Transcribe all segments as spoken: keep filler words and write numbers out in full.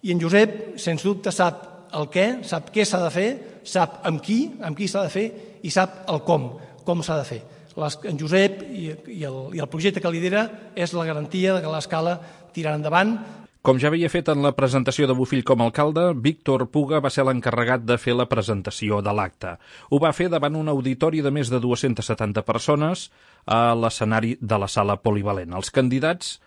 I en Josep, sens dubte, sap el què, sap què s'ha de fer, sap amb qui, amb qui s'ha de fer i sap el com, com s'ha de fer. En Josep i el, i el projecte que lidera és la garantia que l'Escala tirarà endavant. Com ja havia fet en la presentació de Bofill com a alcalde, Víctor Puga va ser l'encarregat de fer la presentació de l'acte. Ho va fer davant un auditori de més de dues-centes setanta persones a l'escenari de la sala polivalent. Els candidats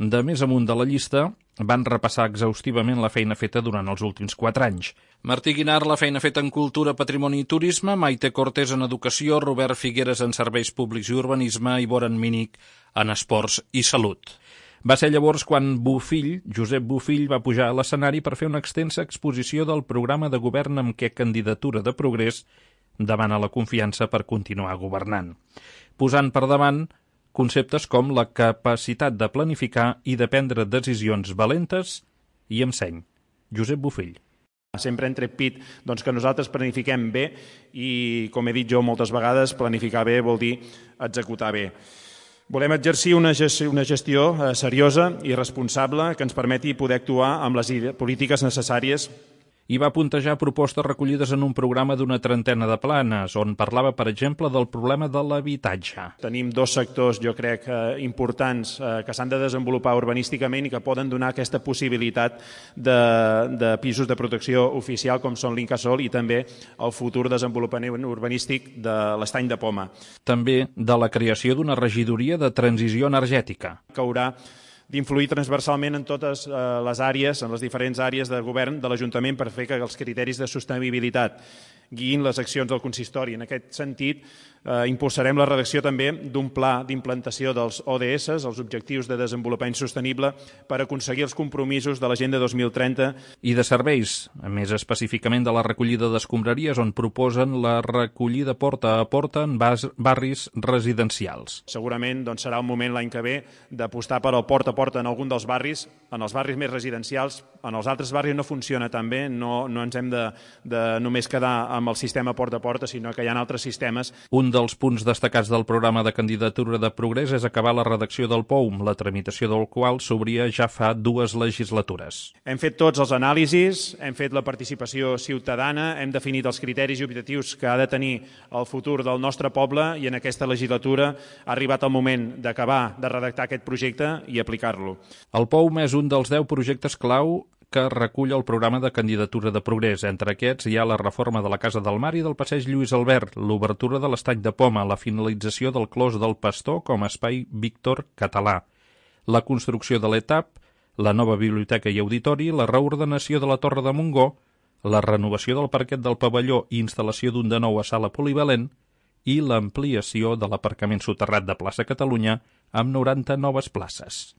de més amunt de la llista van repassar exhaustivament la feina feta durant els últims quatre anys. Martí Guinart, la feina feta en cultura, patrimoni i turisme, Maite Cortés en educació, Robert Figueres en serveis públics i urbanisme i Boran Mínic en esports i salut. Va ser llavors quan Bofill, Josep Bofill, va pujar a l'escenari per fer una extensa exposició del programa de govern amb què Candidatura de Progrés demana la confiança per continuar governant, posant per davant conceptes com la capacitat de planificar i de prendre decisions valentes i amb seny. Josep Bofill. Sempre hem tret pit doncs, que nosaltres planifiquem bé i, com he dit jo moltes vegades, planificar bé vol dir executar bé. Volem exercir una gestió, una gestió eh, seriosa i responsable que ens permeti poder actuar amb les polítiques necessàries. I va puntejar propostes recollides en un programa d'una trentena de planes, on parlava, per exemple, del problema de l'habitatge. Tenim dos sectors, jo crec, eh, importants eh, que s'han de desenvolupar urbanísticament i que poden donar aquesta possibilitat de, de pisos de protecció oficial, com són l'Incasòl i també el futur desenvolupament urbanístic de l'Estany de Poma. També de la creació d'una regidoria de transició energètica. Que haurà d'influir transversalment en totes les àrees, en les diferents àrees de govern de l'Ajuntament per fer que els criteris de sostenibilitat guiïn les accions del consistori. En aquest sentit, eh, impulsarem la redacció també d'un pla d'implantació dels O D S, els Objectius de Desenvolupament Sostenible, per aconseguir els compromisos de l'Agenda dos mil trenta. I de serveis, més específicament de la recollida d'escombraries, on proposen la recollida porta a porta en bas, barris residencials. Segurament doncs, serà el moment l'any que ve d'apostar per al porta a porta en algun dels barris, en els barris més residencials. En els altres barris no funciona tan bé, no, no ens hem de, de només quedar amb el sistema porta a porta, sinó que hi ha altres sistemes. Un dels punts destacats del programa de Candidatura de Progrés és acabar la redacció del P O U M, la tramitació del qual s'obria ja fa dues legislatures. Hem fet tots els anàlisis, hem fet la participació ciutadana, hem definit els criteris i objectius que ha de tenir el futur del nostre poble i en aquesta legislatura ha arribat el moment d'acabar de redactar aquest projecte i aplicar-lo. El P O U M és un dels deu projectes clau que recull el programa de Candidatura de Progrés. Entre aquests hi ha la reforma de la Casa del Mar i del Passeig Lluís Albert, l'obertura de l'Estany de Poma, la finalització del Clos del Pastor com a espai Víctor català, la construcció de l'Etap, la nova biblioteca i auditori, la reordenació de la Torre de Montgó, la renovació del parquet del pavelló i instal·lació d'un de nou a sala polivalent i l'ampliació de l'aparcament soterrat de plaça Catalunya amb noranta noves places.